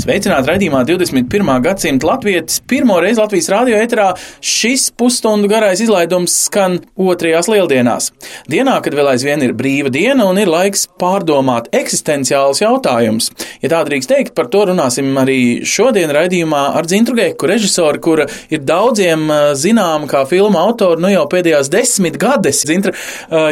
Sveicināti raidījumā 21. gadsimta latvietis. Pirmo reizi Latvijas radio eterā šis pusstundu garais izlaidums skan otrajās lieldienās. Dienā, kad vēl aizvien ir brīva diena un ir laiks pārdomāt eksistenciālus jautājumus. Ja tā drīkst teikt, par to runāsim arī šodien raidījumā ar Dzintru Geku, režisori, kura ir daudziem zināma kā filmu autori nu jau pēdējās 10 gades. Dzintra,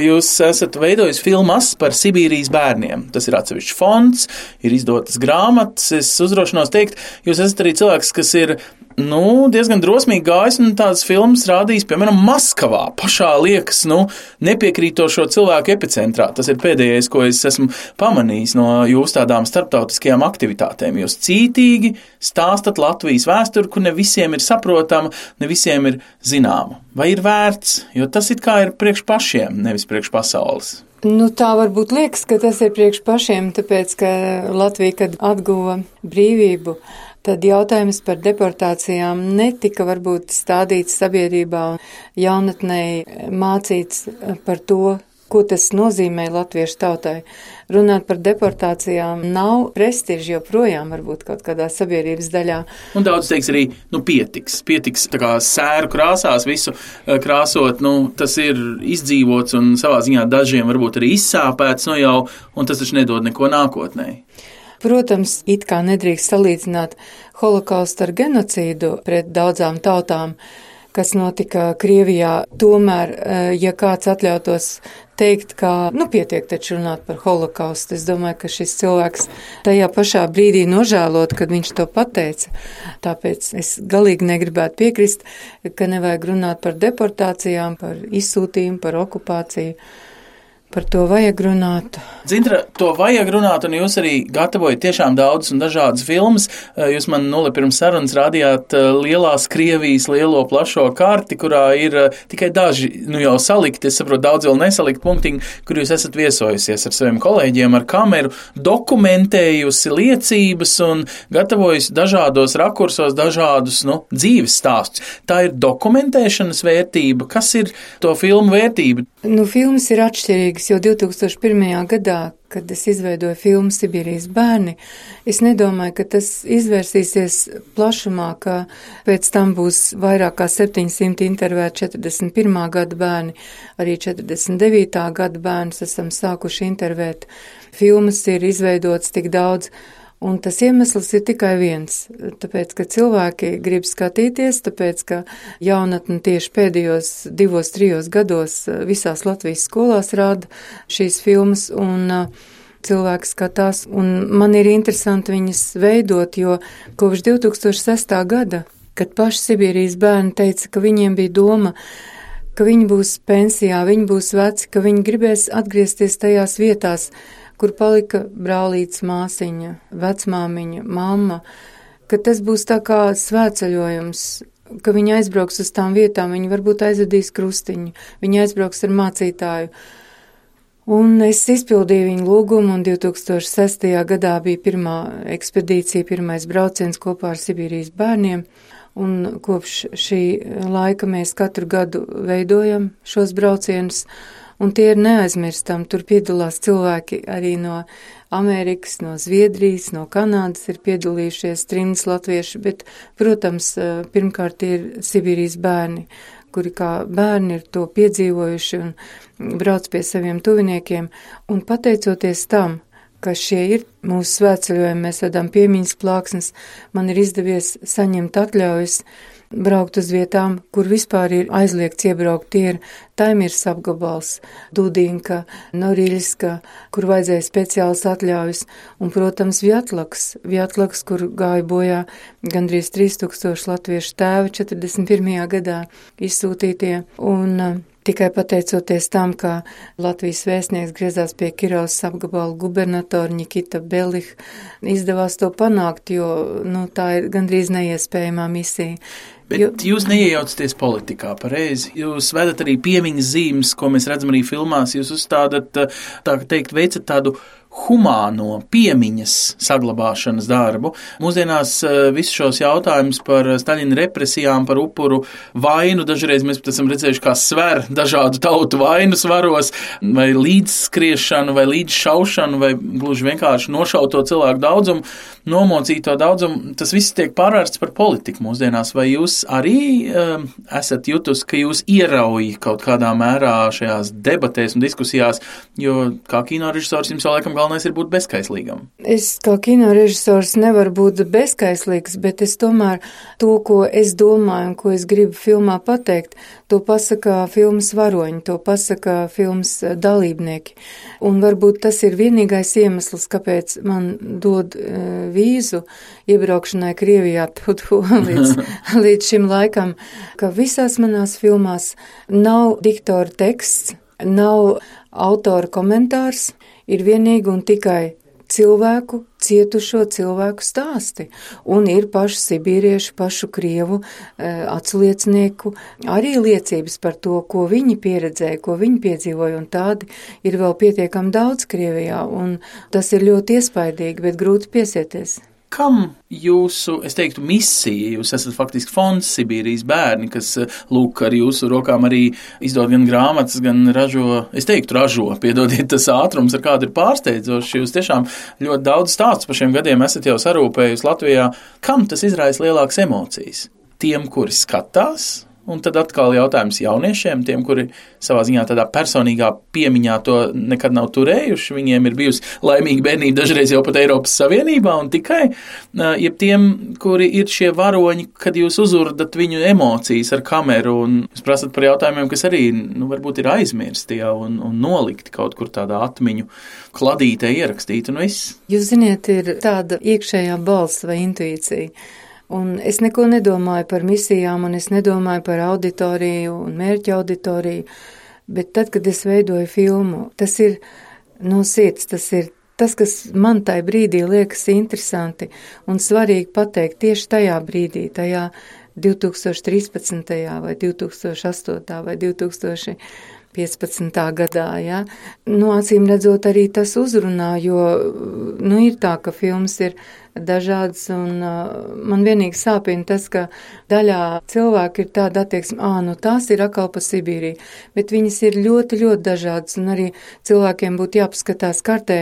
jūs esat veidojis filmas par Sibīrijas bērniem. Tas ir atsevišķs fonds, ir izdotas grāmatas. Es uzdrošinos teikt, jūs esat arī cilvēks, kas ir diezgan drosmīgi gājis un tādas filmas rādījis, piemēram, Maskavā, pašā liekas, nepiekrītošo cilvēku epicentrā. Tas ir pēdējais, ko es esmu pamanījis no jūsu tādām starptautiskajām aktivitātēm. Jūs cītīgi stāstat Latvijas vēsturi, kur ne visiem ir saprotama, ne visiem ir zināma. Vai ir vērts? Jo tas it kā ir priekš pašiem, nevis priekš pasaules. Tā varbūt liekas, ka tas ir priekš pašiem, tāpēc, ka Latvija, kad atguva brīvību, tad jautājums par deportācijām netika varbūt stādīts sabiedrībā un jaunatnei mācīts par to, ko tas nozīmē latviešu tautai. Runāt par deportācijām nav prestiži joprojām varbūt kaut kādā sabiedrības daļā. Un daudz teiks arī, pietiks tā kā sēru krāsās visu krāsot, tas ir izdzīvots un savā ziņā dažiem varbūt arī izsāpēts jau, un tas taču nedod neko nākotnē. Protams, it kā nedrīkst salīdzināt holokaustu ar genocīdu pret daudzām tautām, kas notika Krievijā. Tomēr, ja kāds atļautos teikt, ka pietiek taču runāt par holokaustu, es domāju, ka šis cilvēks tajā pašā brīdī nožēlot, kad viņš to pateica. Tāpēc es galīgi negribētu piekrist, ka nevajag runāt par deportācijām, par izsūtījumu, par okupāciju. Par to vajag runāt. Dzintra, to vajag runāt, un jūs arī gatavojat tiešām daudzas un dažādas filmas. Jūs man pirms sarunas rādījāt lielās Krievijas lielo plašo karti, kurā ir tikai daži jau salikti, es saprotu, daudz vēl nesalikt punktiņi, kur jūs esat viesojusies ar saviem kolēģiem, ar kameru, dokumentējusi liecības un gatavojusi dažādos rakursos dažādus dzīves stāstus. Tā ir dokumentēšanas vērtība. Kas ir to filmu vērtība? Filmas ir atšķirīgas, jo 2001. gadā, kad es izveidoju filmu Sibīrijas bērni, es nedomāju, ka tas izvērsīsies plašumā, ka pēc tam būs vairāk kā 700 intervēti 41. gada bērni, arī 49. gada bērnus esam sākuši intervēt. Filmas ir izveidotas tik daudz, un tas iemesls ir tikai viens, tāpēc, ka cilvēki grib skatīties, tāpēc, ka jaunatne tieši pēdējos 2-3 gados visās Latvijas skolās rāda šīs filmas, un cilvēki skatās, un man ir interesanti viņas veidot, jo kopš 2006. gada, kad paši Sibīrijas bērni teica, ka viņiem bija doma, ka viņi būs pensijā, viņi būs veci, ka viņi gribēs atgriezties tajās vietās, kur palika brālītes māsiņa, vecmāmiņa, mamma, ka tas būs tā kā svētceļojums, ka viņi aizbrauks uz tām vietām, viņi varbūt aizvedīs krustiņu, viņi aizbrauks ar mācītāju. Un es izpildīju viņu lūgumu, un 2006. gadā bija pirmā ekspedīcija, pirmais brauciens kopā ar Sibīrijas bērniem, un kopš šī laika mēs katru gadu veidojam šos braucienus, un tie ir neaizmirstami. Tur piedalās cilvēki arī no Amerikas, no Zviedrijas, no Kanādas ir piedalījušies trimdas latvieši, bet, protams, pirmkārt ir Sibīrijas bērni, kuri kā bērni ir to piedzīvojuši un brauc pie saviem tuviniekiem, un pateicoties tam, ka šie ir mūsu svētceļojumi, mēs vedam piemiņas plāksnes, man ir izdevies saņemt atļaujas braukt uz vietām, kur vispār ir aizliegts iebraukt. Tie ir Taimirs apgabals, Dudinka, Noriļska, kur vajadzēja speciāls atļaujas, un, protams, Vjatlaks, kur gāja bojā gandrīz 3000 latviešu tēvi 41. gadā izsūtītie, un tikai pateicoties tam, ka Latvijas vēstnieks griezās pie Kirovas apgabala gubernatora Nikita Belih, izdevās to panākt, jo tā ir gandrīz neiespējamā misija. Bet jūs neiejaucaties politikā, pareizi. Jūs vedat arī piemiņas zīmes, ko mēs redzam arī filmās. Jūs uzstādat, tā teikt, veicat tādu humāno piemiņas saglabāšanas darbu. Mūsdienās visus šos jautājumus par Staļina represijām, par upuru vainu, dažreiz mēs pat esam redzējuši, kā sver dažādu tautu vainu svaros, vai līdzskriešanu, vai līdzšaušanu, vai gluži vienkārši nošauto cilvēku daudzumu, nomocīto daudzumu. Tas viss tiek pārvērsts par politiku mūsdienās. Vai jūs arī esat jutus, ka jūs ierauj kaut kādā mērā šajās debatēs un diskusijās, jo kā kinorežisors jums jau laikam galvenais ir būt bezskaislīgam? Es kā kinorežisors nevaru būt bezskaislīgs, bet es tomēr to, ko es domāju un ko es gribu filmā pateikt, to pasaka filmas varoņi, to pasaka filmas dalībnieki. Un varbūt tas ir vienīgais iemesls, kāpēc man dod vīzu iebraukšanai Krievijā līdz šim laikam, ka visās manās filmās nav diktora teksts, nav autora komentārs, ir vienīgi un tikai cilvēku, cietušo cilvēku stāsti. Un ir pašu sibīriešu, pašu krievu atsliecinieku arī liecības par to, ko viņi pieredzēja, ko viņi piedzīvoja, un tādi ir vēl pietiekami daudz Krievijā, un tas ir ļoti iespaidīgi, bet grūti piesieties. Kam jūsu, es teiktu, misija? Jūs esat faktiski fonds Sibīrijas bērni, kas, lūk, ar jūsu rokām arī izdod gan grāmatas, gan ražo, piedodiet, tas ātrums, ar kādu ir pārsteidzoši. Jūs tiešām ļoti daudz stāstus par šiem gadiem esat jau sarūpējusi Latvijā. Kam tas izraisa lielākas emocijas? Tiem, kuri skatās? Un tad atkal jautājums jauniešiem, tiem, kuri savā ziņā tādā personīgā piemiņā to nekad nav turējuši, viņiem ir bijusi laimīga bērnība dažreiz jau pat Eiropas Savienībā un tikai, jeb tiem, kuri ir šie varoņi, kad jūs uzurdat viņu emocijas ar kameru un jūs prasat par jautājumiem, kas arī, varbūt ir aizmirsti jau un nolikti kaut kur tādā atmiņu kladītē ierakstīti un viss. Jūs ziniet, ir tāda iekšējā balss vai intuīcija. Un es neko nedomāju par misijām, un es nedomāju par auditoriju un mērķa auditoriju, bet tad, kad es veidoju filmu, tas ir no sirds, tas ir tas, kas man tajā brīdī liekas interesanti un svarīgi pateikt tieši tajā brīdī, tajā 2013. vai 2008. vai 2015. gadā, ja. Acīm redzot, arī tas uzrunā, jo, ir tā, ka filmas ir dažādas, un man vienīgi sāpina tas, ka daļā cilvēku ir tāda attieksme, tās ir atkal pa Sibīriju, bet viņas ir ļoti, ļoti dažādas, un arī cilvēkiem būtu jāpaskatās kartē,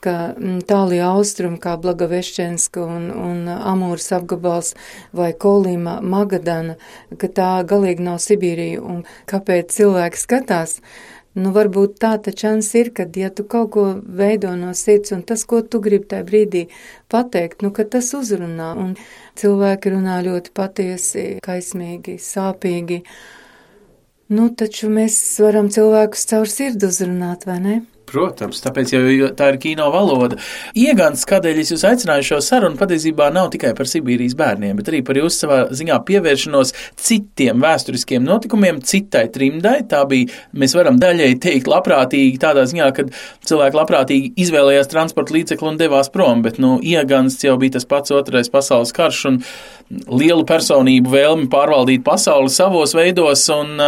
ka tālie austrumi, kā Blagaveščenska un Amūras apgabals vai Kolima, Magadana, ka tā galīgi nav Sibīrija, un kāpēc cilvēki skatās? Varbūt tā čans ir, kad, ja tu kaut ko veido no sirds, un tas, ko tu gribi tajā brīdī pateikt, ka tas uzrunā, un cilvēki runā ļoti patiesi, kaismīgi, sāpīgi. Taču mēs varam cilvēkus caur sirdi uzrunāt, vai ne? Protams, tāpēc jau tā ir kino valoda. Iegans, kādēļ es jūs aicināju šo sarunu, patiesībā nav tikai par Sibīrijas bērniem, bet arī par jūsu savā ziņā pievēršanos citiem vēsturiskiem notikumiem, citai trimdai. Tā bija, mēs varam daļai teikt, labprātīgi tādā ziņā, kad cilvēki labprātīgi izvēlējās transporta līdzekli un devās prom, bet, Iegans jau bija tas pats otrais pasaules karš un lielu personību vēlmi pārvaldīt pasauli savos veidos, un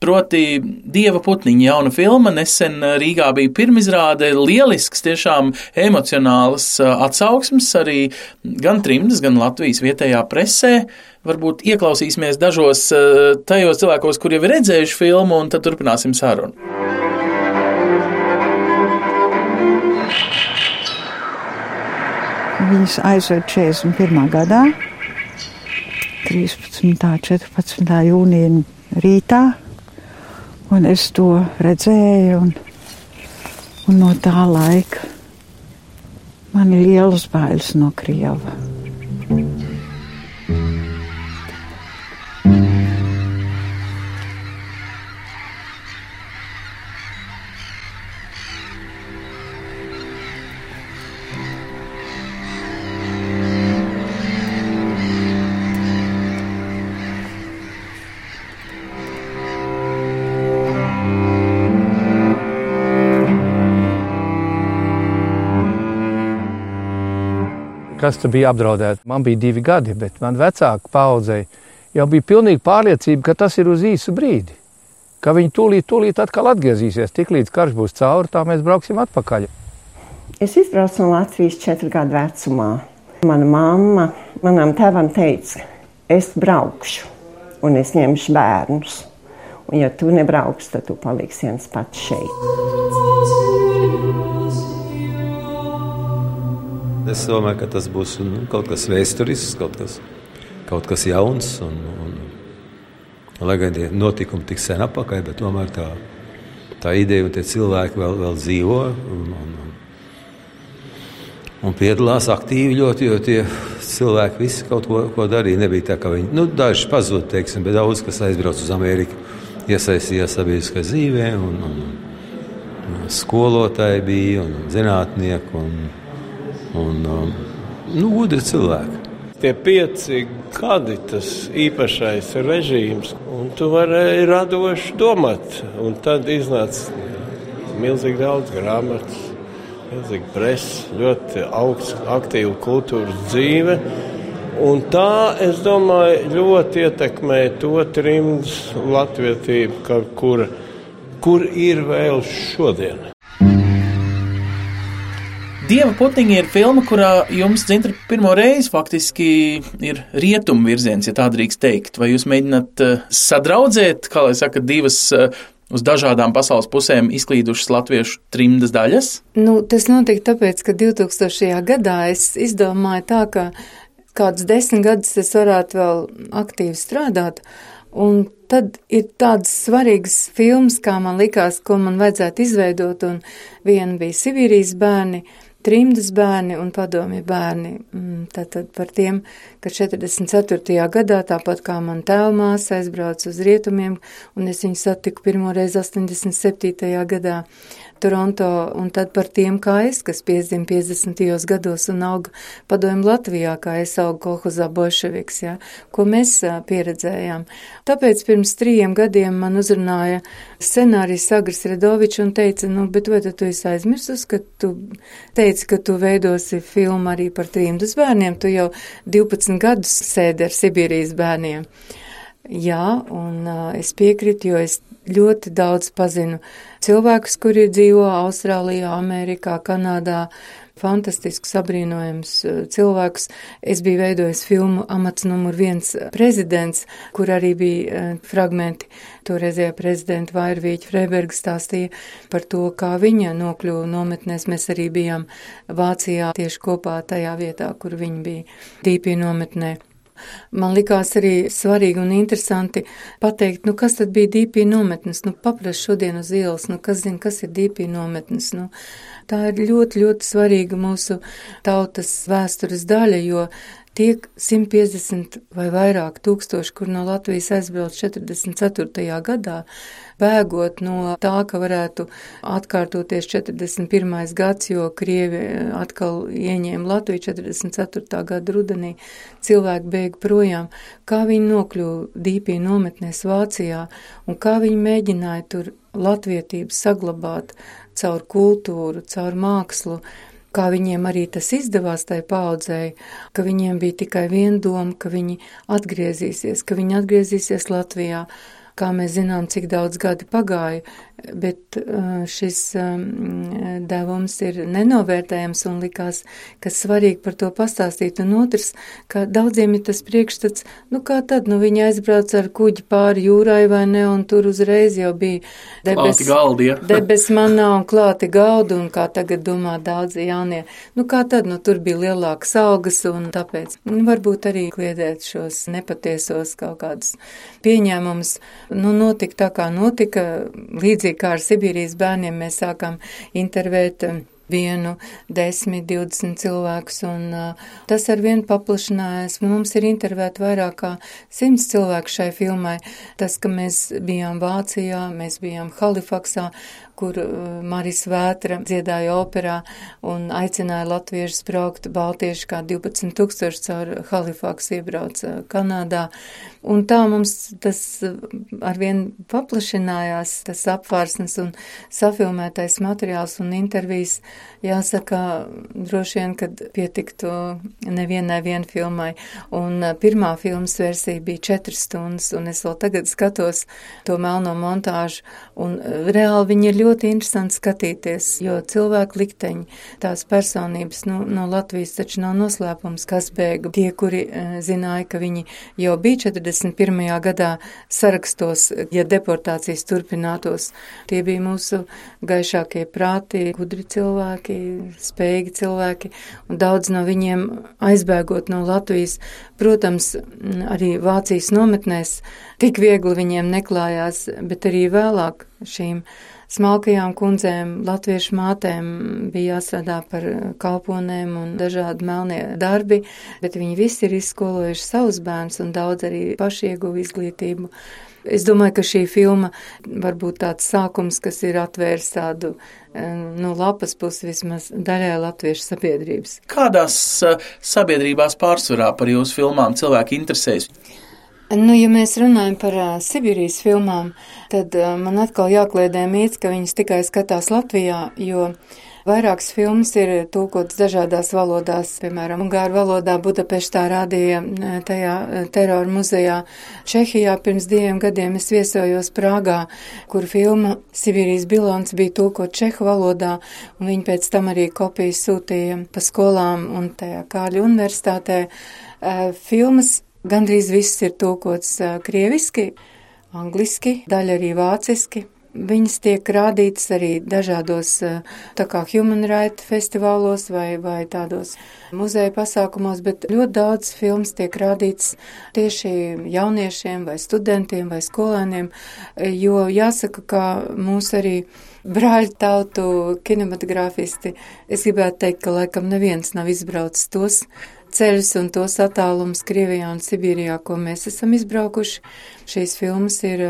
proti Dieva putniņa jauna filma nesen Rīgā bija pirmizrāde, lielisks, tiešām emocionāls atsauksmes arī gan trimdas, gan Latvijas vietējā presē. Varbūt ieklausīsimies dažos tajos cilvēkos, kur jau ir redzējuši filmu, un tad turpināsim sarunu. Viņas aizved 41. gadā, 13. 14. jūnija rītā, un es to redzēju, un no tā laika man ir lielas bailes no Krieva. Kas tur bija apdraudēts? Man bija 2 gadi, bet man vecāka paudzei jau bija pilnīgi pārliecība, ka tas ir uz īsu brīdi. Ka viņi tūlīt atkal atgriezīsies. Tiklīdz karš būs cauri, tā mēs brauksim atpakaļ. Es izbraucu no Latvijas 4 gadu vecumā. Mana mamma manam tēvam teica, es braukšu un es ņemšu bērnus. Un ja tu nebrauks, tad tu paliksi viens pats šeit. Es domāju, ka tas būs kaut kas vēsturisks, kaut kas jauns. Lai gan tie notikumi tik sen apakaļ, bet tomēr tā ideja un tie cilvēki vēl dzīvo un piedalās aktīvi ļoti, jo tie cilvēki visi kaut ko darīja. Nebija tā, ka viņi, daži pazūd, teiksim, bet daudz, kas aizbrauc uz Ameriku, iesaistījās sabiedriskā dzīvē, un skolotāji bija, un zinātnieki, un gudri cilvēki. Tie 5 gadi, tas īpašais režīms, un tu vari radoši domāt, un tad iznāca milzīgi daudz grāmatas, milzīgi presa, ļoti augsts, aktīva kultūras dzīve. Un tā, es domāju, ļoti ietekmē to trimdas latvietību, kur ir vēl šodien. Dieva putniņi ir filma, kurā jums, Dzintra, pirmo reizi faktiski ir rietumu virziens, ja tā drīkst teikt. Vai jūs mēģināt sadraudzēt, kā lai saka, divas uz dažādām pasaules pusēm izklīdušas latviešu trimdas daļas? Tas notika tāpēc, ka 2000. gadā es izdomāju tā, ka kādus 10 gadus es varētu vēl aktīvi strādāt, un tad ir tādas svarīgas filmas, kā man likās, ko man vajadzētu izveidot, un viena bija Sibīrijas bērni, trimdas bērni un padomju bērni. Tātad par tiem, ka 44. gadā, tāpat kā man tēvmāsa aizbrauca uz rietumiem, un es viņu satiku pirmoreiz 87. gadā Toronto, un tad par tiem, kā es, kas piedzima 50. gados un auga padomju Latvijā, kā es augu kolhozā bolševiks, ko mēs pieredzējām. Tāpēc pirms 3 gadiem man uzrunāja scenārijs Agris Redovičs un teica, bet vai tu esi aizmirsus, ka tu teici, ka tu veidosi filmu arī par trimdas bērniem, tu jau 12 gadus sēdi ar Sibīrijas bērniem. Jā, un es piekrītu, jo es ļoti daudz pazinu cilvēkus, kuri dzīvo Austrālijā, Amerikā, Kanādā, fantastisks, abrīnojams cilvēkus. Es biju veidojis filmu Amats numur 1 prezidents, kur arī bija fragmenti. Toreizējā prezidenta Vairvīķa Freiberga stāstīja par to, kā viņa nokļuva nometnēs. Mēs arī bijām Vācijā tieši kopā tajā vietā, kur viņa bija Dīpī nometnē. Man likās arī svarīgi un interesanti pateikt, kas tad bija Dīpī nometnes, paprast šodien uz ielas, kas zina, kas ir Dīpī nometnes, tā ir ļoti, ļoti svarīga mūsu tautas vēstures daļa, jo tiek 150 vai vairāk tūkstoši, kur no Latvijas aizbrauc 44. gadā, bēgot no tā, ka varētu atkārtoties 41. gads, jo Krievi atkal ieņēma Latviju 44. gada rudenī, cilvēki bēga projām, kā viņi nokļuva Dīpī nometnēs Vācijā un kā viņi mēģināja tur latvietību saglabāt caur kultūru, caur mākslu, kā viņiem arī tas izdevās tai paaudzēji, ka viņiem bija tikai viena doma, ka viņi atgriezīsies Latvijā. Kā mēs zinām, cik daudz gadi pagāja, bet šis devums ir nenovērtējams un likās, ka svarīgi par to pastāstīt. Un otrs, ka daudziem ir tas priekšstats, kā tad, viņi aizbrauc ar kuģi pāri jūrai vai ne, un tur uzreiz jau bija debes manā un klāti galdi, un kā tagad domā daudzi jaunie. Kā tad, tur bija lielākas algas, un tāpēc varbūt arī kliedēt šos nepatiesos kaut kādus pieņēmumus. Notika tā, kā notika, līdzīgi kā ar Sibīrijas bērniem mēs sākam intervēt 1, 10, 20 cilvēkus, un tas arvien paplašinājās. Mums ir intervēti vairāk kā 100 cilvēku šai filmai. Tas, ka mēs bijām Vācijā, mēs bijām Halifaksā, kur Maris Vētra dziedāja operā un aicināja latviešus braukt, baltieši kā 12 000 caur Halifaksu iebrauc Kanādā. Un tā mums tas arvien paplašinājās, tas apvārsnes un safilmētais materiāls un intervijas. jāsaka, droši vien, kad pietiktu nevienai filmai. Un pirmā filmas versija bija 4 stundas, un es vēl tagad skatos to melno montāžu, un reāli viņi ir ļoti interesanti skatīties, jo cilvēku likteņi, tās personības, no Latvijas taču nav noslēpums, kas bēga. Tie, kuri zināja, ka viņi jau bija 41. gadā sarakstos, ja deportācijas turpinātos, tie bija mūsu gaišākie prāti, gudri cilvēki, spējīgi cilvēki, un daudz no viņiem aizbēgot no Latvijas, protams, arī Vācijas nometnēs tik viegli viņiem neklājās, bet arī vēlāk šīm smalkajām kundzēm, latviešu mātēm bija jāstrādā par kalponēm un dažādi melnie darbi, bet viņi visi ir izskolojuši savus bērnus un daudz arī paši ieguva izglītību. Es domāju, ka šī filma var būt tāds sākums, kas ir atvērs tādu lapas pusi vismaz daļai latviešu sabiedrības. Kādās sabiedrībās pārsvarā par jūsu filmām cilvēki interesējas? Ja mēs runājam par Sibīrijas filmām, tad man atkal jākliedē mīts, ka viņas tikai skatās Latvijā, jo vairākas filmas ir tulkotas dažādās valodās, piemēram, ungāru valodā Budapeštā rādīja tajā terora muzejā. Čehijā pirms 2 gadiem es viesojos Prāgā, kur filma Sibīrijas bilons bija tulkot čehu valodā, un viņi pēc tam arī kopijas sūtīja pa skolām un tajā Kārļa universitātē. Filmas gandrīz viss ir tulkots krieviski, angliski, daļa arī vāciski. Viņas tiek rādītas arī dažādos tā kā Human Rights festivālos vai tādos muzeja pasākumos, bet ļoti daudz filmas tiek rādītas tieši jauniešiem vai studentiem vai skolēniem, jo jāsaka, ka mūs arī brāļu tautu kinematogrāfisti, es gribētu teikt, ka laikam neviens nav izbraucis tos ceļus un tos attālums Krievijā un Sibīrijā, ko mēs esam izbraukuši. Šīs filmas ir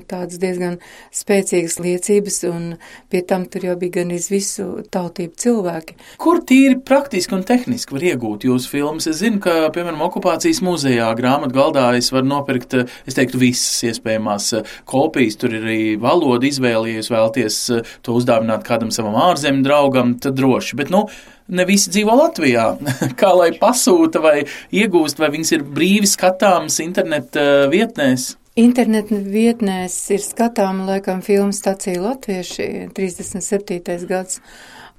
tādas diezgan spēcīgas liecības, un pie tam tur jau bija gan visu tautību cilvēki. Kur tīri praktiski un tehniski var iegūt jūsu filmas? Es zinu, ka, piemēram, okupācijas muzejā grāmatgaldā es varu nopirkt, es teiktu, visas iespējamās kopijas. Tur ir arī valoda izvēle, ja jūs vēlaties to uzdāvināt kādam savam ārzemju draugam, tad droši. Bet, ne visi dzīvo Latvijā. Kā lai pasūta vai iegūst, vai viņas ir brīvi skatāmas interneta vietnēs? Interneta vietnēs ir skatāma, laikam, filmu stacija Latvieši, 37. gads.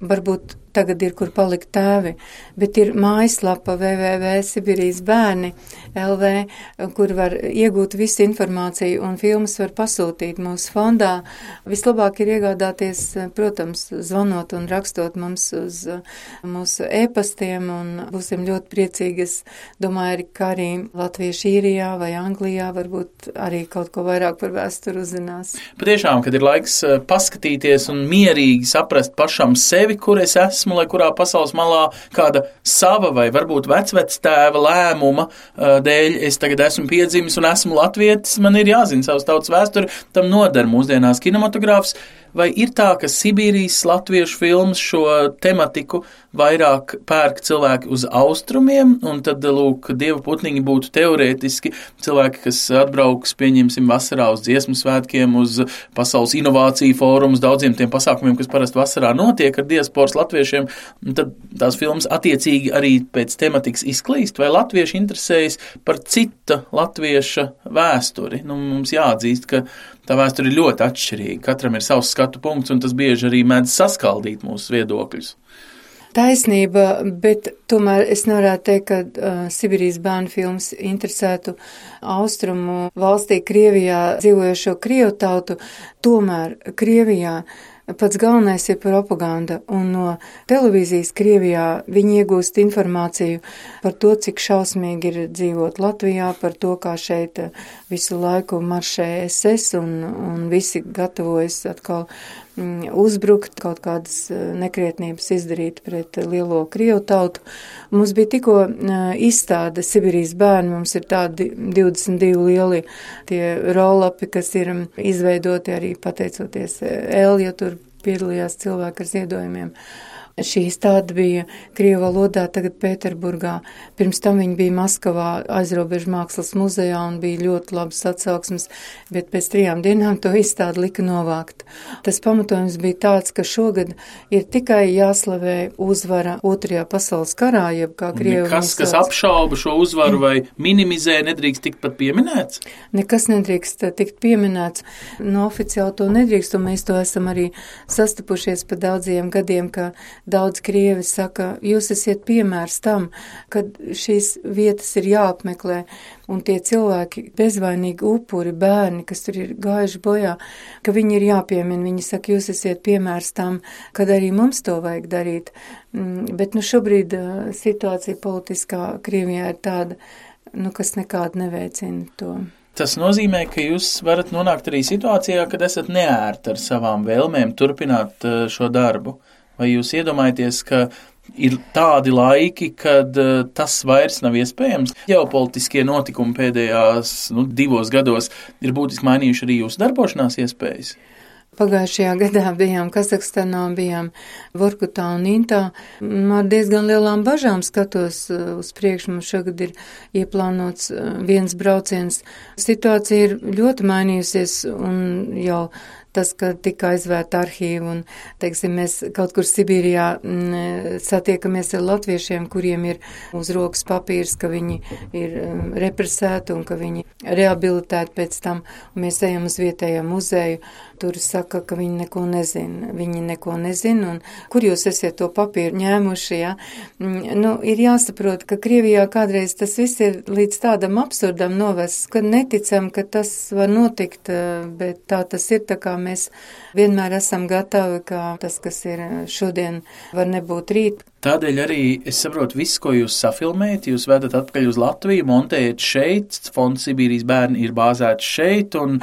Varbūt tagad ir, kur palikt tēvi, bet ir mājaslapa www.sibirijas-bērni.lv, kur var iegūt visu informāciju un filmas var pasūtīt mūsu fondā. Vislabāk ir iegādāties, protams, zvanot un rakstot mums uz mūsu e-pastiem, un būsim ļoti priecīgi. Es domāju, ka arī Latvieši īrijā vai Anglijā varbūt arī kaut ko vairāk par vēsturi uzzinās. Patiešām, kad ir laiks paskatīties un mierīgi saprast pašam sevi, kur es esmu, lai kurā pasaules malā kāda sava vai varbūt vecvectēva lēmuma dēļ es tagad esmu piedzimis un esmu latvietis, man ir jāzina savas tautas vēsturi, tam nodara mūsdienās kinematogrāfs. Vai ir tā, ka Sibīrijas latviešu filmas šo tematiku vairāk pērk cilvēki uz austrumiem, un tad, lūk, dievu putniņi būtu teorētiski cilvēki, kas atbrauks, pieņemsim, vasarā uz dziesmu svētkiem, uz pasaules inovāciju fórumus, daudziem tiem pasākumiem, kas parasti vasarā notiek ar diasporas latviešiem, un tad tās filmas attiecīgi arī pēc tematikas izklīst, vai latvieši interesējas par cita latvieša vēsturi? Mums jāatzīst, ka tā vēsture ir ļoti atšķirīga. Katram ir savs skatu punkts, un tas bieži arī mēdz saskaldīt mūsu viedokļus. Taisnība, bet tomēr es nevarētu teikt, ka Sibīrijas bērnu filmas interesētu austrumu valstī Krievijā dzīvojošo krievu tautu. Tomēr Krievijā pats galvenais ir propaganda, un no televīzijas Krievijā viņi iegūst informāciju par to, cik šausmīgi ir dzīvot Latvijā, par to, kā šeit visu laiku maršē SS, un visi gatavojas atkal uzbrukt, kaut kādas nekrietnības izdarīt pret lielo krievu tautu. Mums bija tikko izstāde Sibīrijas bērni, mums ir tādi 22 lieli tie rollapi, kas ir izveidoti arī pateicoties jo tur piedalījās cilvēki ar ziedojumiem. Šī izstāde bija krievu valodā, tagad Pēterburgā. Pirms tam viņa bija Maskavā aizrobežu mākslas muzejā un bija ļoti labas atsauksmes, bet pēc 3 dienām to izstādi lika novākt. Tas pamatojums bija tāds, ka šogad ir tikai jāslavē uzvara 2. pasaules karā, jeb kā krievu. Nekas, kas apšauba šo uzvaru vai minimizē, nedrīkst tikt pat pieminēts? Nekas nedrīkst tikt pieminēts. No oficiāli to nedrīkst, un mēs to esam arī sastapušies pa daudziem gadiem, ka daudz krievi saka, jūs esiet piemērs tam, kad šīs vietas ir jāapmeklē, un tie cilvēki, bezvainīgi upuri, bērni, kas tur ir gājuši bojā, ka viņi ir jāpiemina. Viņi saka, jūs esiet piemērs tam, kad arī mums to vajag darīt. Bet šobrīd situācija politiskā Krievijā ir tāda, kas nekādu neveicina to. Tas nozīmē, ka jūs varat nonākt arī situācijā, kad esat neērti ar savām vēlmēm turpināt šo darbu. Vai jūs iedomājaties, ka ir tādi laiki, kad tas vairs nav iespējams? Ģeopolitiskie notikumi pēdējās 2 gados ir būtiski mainījuši arī jūsu darbošanās iespējas? Pagājušajā gadā bijām Kazahstanā, bijām Vorkutā un Intā. Ar diezgan lielām bažām skatos uz priekšu. Mums šogad ir ieplānots viens brauciens. Situācija ir ļoti mainījusies un jau tas, ka tika aizvērta arhīva un, mēs kaut kur Sibīrijā satiekamies ar latviešiem, kuriem ir uz rokas papīrs, ka viņi ir represēti un ka viņi rehabilitēti pēc tam. Un mēs ejam uz vietējo muzeju, tur saka, ka viņi neko nezina. Un kur jūs esiet to papīru ņēmuši, ja? Ir jāsaprot, ka Krievijā kādreiz tas viss ir līdz tādam absurdam novests, ka neticam, ka tas var notikt, bet tā tas ir, tā kā mēs vienmēr esam gatavi, ka tas, kas ir šodien, var nebūt rīt. Tādēļ arī es saprotu, viss, ko jūs safilmējat, jūs vedat atpakaļ uz Latviju, montējat šeit, Fonds Sibīrijas bērni ir bāzēts šeit, un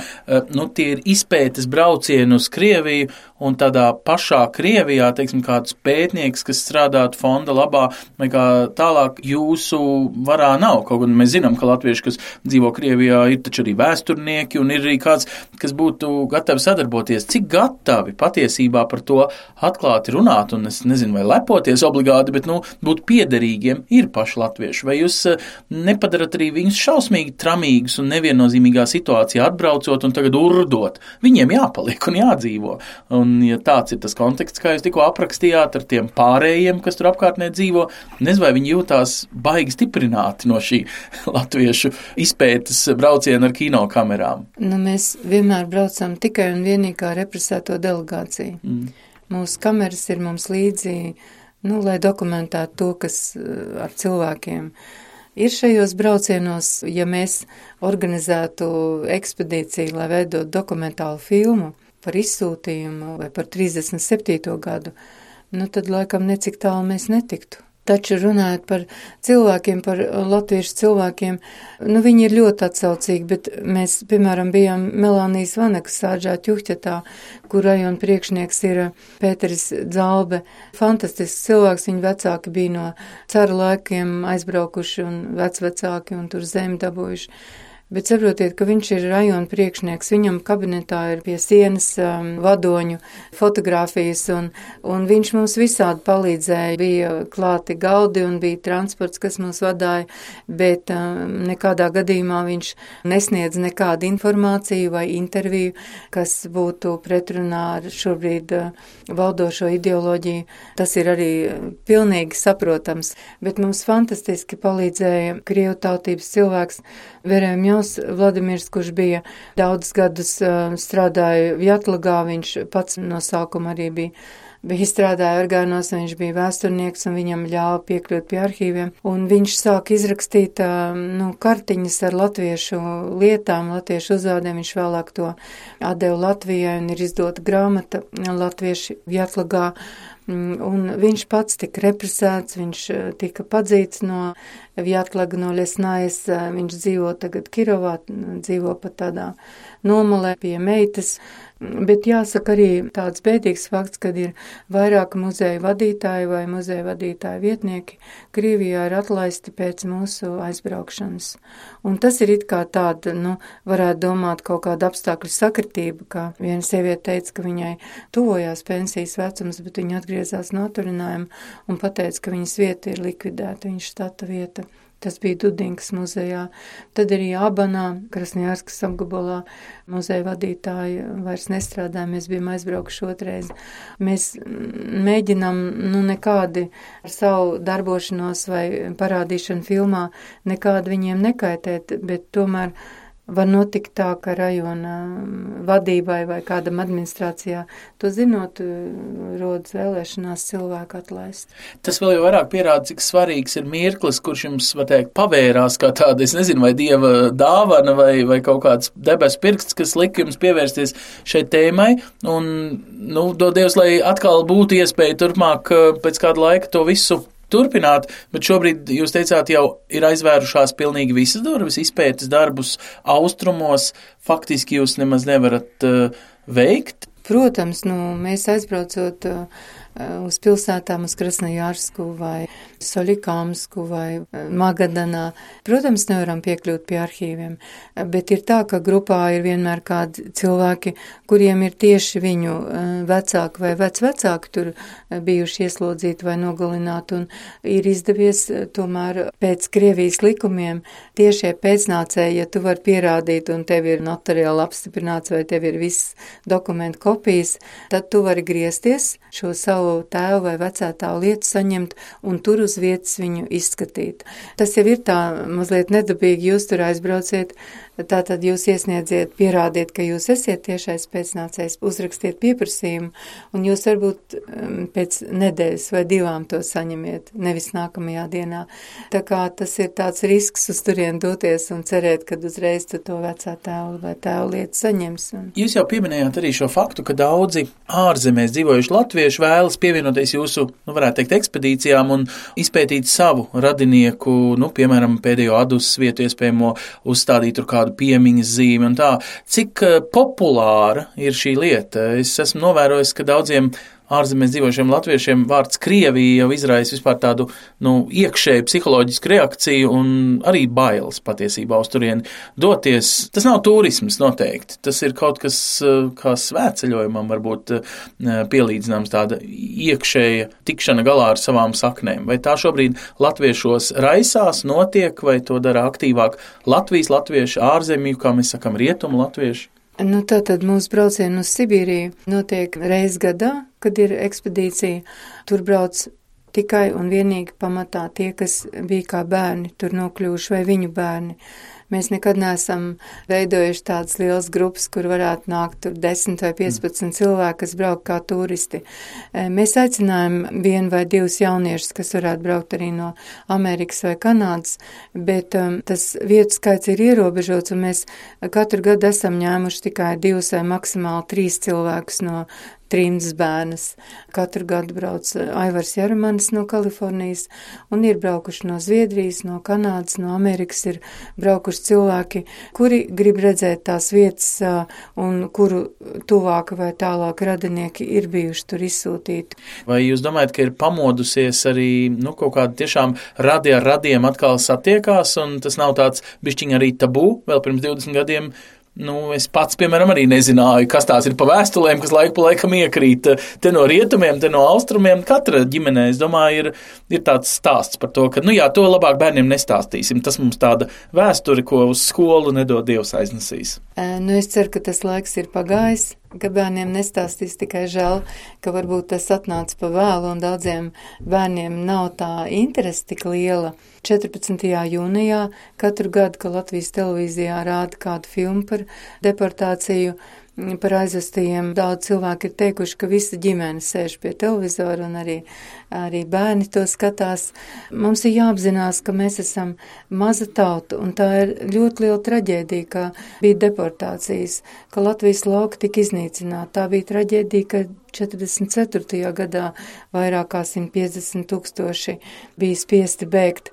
tie ir izpētes braucieni uz Krieviju, un tādā pašā Krievijā, kāds pētnieks, kas strādātu fonda labā, vai kā tālāk jūsu varā nav. Kaut gan mēs zinām, ka latvieši, kas dzīvo Krievijā, ir taču arī vēsturnieki, un ir arī kāds, kas būtu gatavi sadarboties. Cik gatavi patiesībā par to atklāti runāt, un es nezinu, vai lepoties obligāti, bet būt piederīgiem ir paši latvieši. Vai jūs nepadarat arī viņus šausmīgi tramīgus un neviennozīmīgā situācijā atbraucot un tagad urdot? Viņiem jāpaliek un jādzīvo. Un ja tāds ir tas konteksts, kā jūs tikko aprakstījāt ar tiem pārējiem, kas tur apkārtnē dzīvo, nezinu, vai viņi jūtās baigi stiprināti no šī latviešu izpētes brauciena ar kinokamerām. Mēs vienmēr braucam tikai un vienīgi kā represēto delegāciju. Mūsu kameras ir mums līdzi, lai dokumentētu to, kas ar cilvēkiem ir šajos braucienos. Ja mēs organizētu ekspedīciju, lai veidot dokumentālu filmu par izsūtījumu vai par 37. gadu, tad laikam necik tālu mēs netiktu. Taču runājot par cilvēkiem, par latviešu cilvēkiem, viņi ir ļoti atsaucīgi, bet mēs, piemēram, bijām Melānijas Vanekas sāģā Ķuhķetā, kur rajona priekšnieks ir Pēteris Dzalbe. Fantastisks cilvēks, viņa vecāki bija no cara laikiem aizbraukuši un vecvecāki un tur zemi dabūjuši. Bet saprotiet, ka viņš ir rajona priekšnieks, viņam kabinetā ir pie sienas vadoņu fotogrāfijas, un viņš mums visādi palīdzēja. Bija klāti galdi un bija transports, kas mūs vadāja, bet nekādā gadījumā viņš nesniedz nekādu informāciju vai interviju, kas būtu pretrunā ar šobrīd valdošo ideoloģiju. Tas ir arī pilnīgi saprotams, bet mums fantastiski palīdzēja krievu tautības cilvēks Veremjovs Vladimirs, kurš bija daudz gadus strādāja Vjatlagā, viņš pats no sākuma arī bija strādāja orgānos, viņš bija vēsturnieks un viņam ļāva piekļūt pie arhīviem. Un viņš sāka izrakstīt kartiņas ar latviešu lietām, latviešu uzvārdiem, viņš vēlāk to atdeva Latvijai un ir izdota grāmata Latvieši Vjatlagā. Un viņš pats tika represēts, viņš tika padzīts no Vjatlaga, no Lesnājas, viņš dzīvo tagad Kirovā, dzīvo pat tādā nomalē pie meitas. Bet jāsaka arī tāds bēdīgs fakts, kad ir vairāk muzeja vadītāji vai muzeja vadītāji vietnieki Krievijā ir atlaisti pēc mūsu aizbraukšanas. Un tas ir it kā tāda, varētu domāt kaut kāda apstākļu sakritība, kā viena sieviete teica, ka viņai tuvojās pensijas vecums, bet viņa atgriezās no atvaļinājuma un pateica, ka viņas vieta ir likvidēta, viņas štata vieta. Tas bija Dudinkas muzejā. Tad arī Abanā, Krasnojārskas apgabalā muzeja vadītāji vairs nestrādāja, mēs bijām aizbraukuši otrais. Mēs mēģinām nekādi ar savu darbošanos vai parādīšanu filmā nekādi viņiem nekaitēt, bet tomēr var notikt tā, ka rajona vadībai vai kādam administrācijā, to zinot, rodas vēlēšanās cilvēku atlaist. Tas vēl jau vairāk pierāda, cik svarīgs ir mirklis, kurš jums, var teikt, pavērās kā tāda, es nezinu, vai dieva dāvana vai kaut kāds debesu pirksts, kas lika jums pievērsties šai tēmai, un, dod Dievs, lai atkal būtu iespēja turpmāk pēc kāda laika to visu turpināt, bet šobrīd jūs teicāt, jau ir aizvērušās pilnīgi visas durvis, izpētes darbus austrumos, faktiski jūs nemaz nevarat veikt? Protams, mēs aizbraucot uz pilsētām, uz Krasnojārsku vai Soļikāmsku vai Magadanā. Protams, nevaram piekļūt pie arhīviem, bet ir tā, ka grupā ir vienmēr kādi cilvēki, kuriem ir tieši viņu vecāki vai vecvecāki tur bijuši ieslodzīti vai nogalināti, un ir izdevies tomēr pēc Krievijas likumiem tiešie pēcnācēji, ja tu vari pierādīt un tev ir notariāli apstiprināts vai tev ir viss dokumentu kopijas, tad tu vari griezties šo savu tēvu vai vecētāvu lietu saņemt un tur uz vietas viņu izskatīt. Tas jau ir tā mazliet nedabīgi, jūs tur aizbrauciet, tātad jūs iesniedziet, pierādiet, ka jūs esiet tiešais pēcnācējs, uzrakstiet pieprasījumu, un jūs varbūt pēc nedēļas vai 2 to saņemiet, nevis nākamajā dienā. Tā kā tas ir tāds risks uz turien doties un cerēt, kad uzreiz tu to vecā tēvu vai tēvu lietu saņems. Jūs jau pieminējāt arī šo faktu, ka daudzi ārzemēs dzīvojuši latvieši vēlas pievienoties jūsu, varētu teikt, ekspedīcijām un izpētīt savu radinieku, piemēram, pēdējo adus vietu iespējamo uzstādīt tur kādu piemiņas zīmi un tā. Cik populāra ir šī lieta? Es esmu novērojis, ka daudziem ārzemēs dzīvojušiem latviešiem vārds Krievija jau izraisa vispār tādu, iekšēju psiholoģisku reakciju un arī bailes patiesībā uz turieni doties. Tas nav turisms noteikti. Tas ir kaut kas kā svētceļojumam varbūt pielīdzināms, tāda iekšēja tikšana galā ar savām saknēm. Vai tā šobrīd latviešos raisās, notiek, vai to dara aktīvāk latvieši, ārzemju, kā mēs sakam, rietumu latvieši? Tātad mūsu braucieni uz Sibīriju notiek reiz gadā, kad ir ekspedīcija. Tur brauc tikai un vienīgi pamatā tie, kas bija kā bērni, tur nokļuvuši vai viņu bērni. Mēs nekad neesam veidojuši tādas lielas grupas, kur varētu nākt tur 10 vai 15 cilvēki, kas brauc kā turisti. Mēs aicinājām 1 vai 2 jauniešus, kas varētu braukt arī no Amerikas vai Kanādas, bet tas vietu skaits ir ierobežots, un mēs katru gadu esam ņēmuši tikai 2 vai maksimāli 3 cilvēkus no Trimdas bērnas. Katru gadu brauc Aivars Jarumanis no Kalifornijas, un ir braukuši no Zviedrijas, no Kanādas, no Amerikas ir braukuši cilvēki, kuri grib redzēt tās vietas un kuru tuvāka vai tālāk radinieki ir bijuši tur izsūtīti. Vai jūs domājat, ka ir pamodusies arī kaut kāda tiešām radi ar radiem atkal satiekās, un tas nav tāds bišķiņ arī tabū vēl pirms 20 gadiem? Es pats, piemēram, arī nezināju, kas tās ir pa vēstulēm, kas laiku pa laikam iekrīt te no rietumiem, te no austrumiem. Katra ģimenē, es domāju, ir tāds stāsts par to, ka, to labāk bērniem nestāstīsim. Tas mums tāda vēsture, ko uz skolu nedod Dievs aiznesīs. Es ceru, ka tas laiks ir pagājis, ka bērniem nestāstīs, tikai žēl, ka varbūt tas atnāca pa vēlu un daudziem bērniem nav tā interese tik liela. 14. jūnijā katru gadu, ka Latvijas televīzijā rāda kādu filmu par deportāciju, par aizvestajiem, daudz cilvēki ir teikuši, ka visa ģimene sēž pie televizora un arī bērni to skatās. Mums ir jāapzinās, ka mēs esam maza tauta, un tā ir ļoti liela traģēdija, ka bija deportācijas, ka Latvijas lauka tika iznīcināta. Tā bija traģēdija, ka 44. gadā vairāk kā 150 000 bija spiesti bēgt.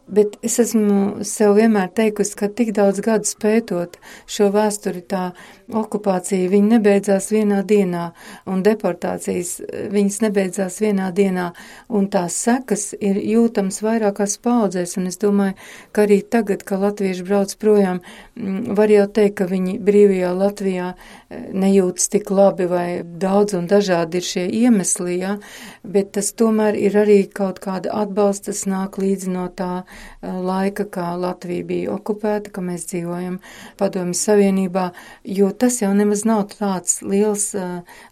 Bet es esmu sev vienmēr teikusi, ka tik daudz gadus pētot šo vēsturi, tā okupācija, viņa nebeidzās vienā dienā, un deportācijas, viņas nebeidzās vienā dienā, un tās sekas ir jūtams vairākās paudzēs, un es domāju, ka arī tagad, kad latvieši brauc projām, var jau teikt, ka viņi brīvajā Latvijā nejūtas tik labi vai daudz un dažādi ir šie iemesli, ja? Bet tas tomēr ir arī kaut kāda atbalsta, tas nāk līdzi no tā laika, kā Latvija bija okupēta, ka mēs dzīvojam Padomju Savienībā, jo tas jau nemaz nav tāds liels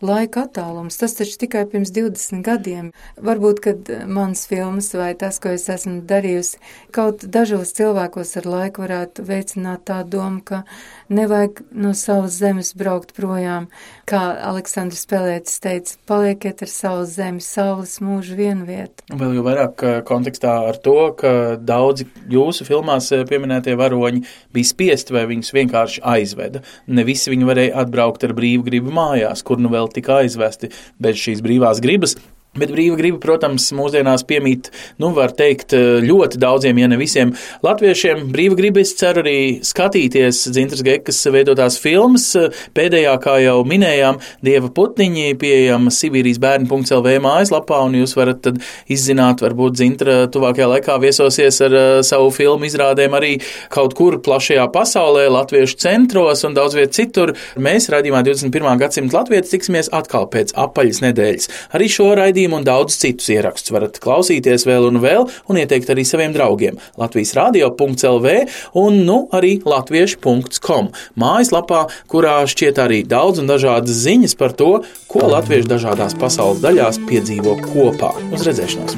laika attālums. Tas taču tikai pirms 20 gadiem. Varbūt, kad mans filmas vai tas, ko es esmu darījusi, kaut dažos cilvēkos ar laiku varētu veicināt tā domu, ka nevajag no savas zemes braukt projām. Kā Aleksandrs Pelētis teica, palieciet ar savu zemi, saules mūžu vienu vietu. Vēl jau vairāk kontekstā ar to, ka daudzi jūsu filmās pieminētie varoņi bija spiesti vai viņus vienkārši aizveda. Ne visi viņi varēja atbraukt ar brīvu gribu mājās, kur nu vēl tika aizvesti bez šīs brīvās gribas. Bet brīva griba, protams, mūsdienās piemīt, var teikt, ļoti daudziem, ja ne visiem latviešiem. Brīva griba, es ceru arī skatīties Dzintras Gekas veidotās filmas. Pēdējā, kā jau minējām, Dieva putniņi pieejama sibīrijasbērni.lv mājaslapā, un jūs varat tad izzināt, varbūt Dzintra tuvākajā laikā viesosies ar savu filmu izrādēm arī kaut kur plašajā pasaulē, latviešu centros un daudz viet citur. Mēs raidījumā 21. gadsimta latvietis tiksimies atkal pēc apaļas nedēļas. Arī šo raidījumu un daudz citus ierakstus varat klausīties vēl un ieteikt arī saviem draugiem. latvijasradio.lv un arī latviešu.com mājaslapā, kurā šķiet arī daudz un dažādas ziņas par to, ko latvieši dažādās pasaules daļās piedzīvo kopā. Uz redzēšanos!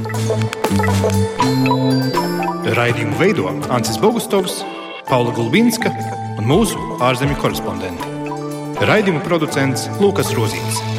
Raidījumu veido Ancis Bogustovs, Paula Gulbinska un mūsu ārzemju korespondenti. Raidījumu producents Lukas Rozīts.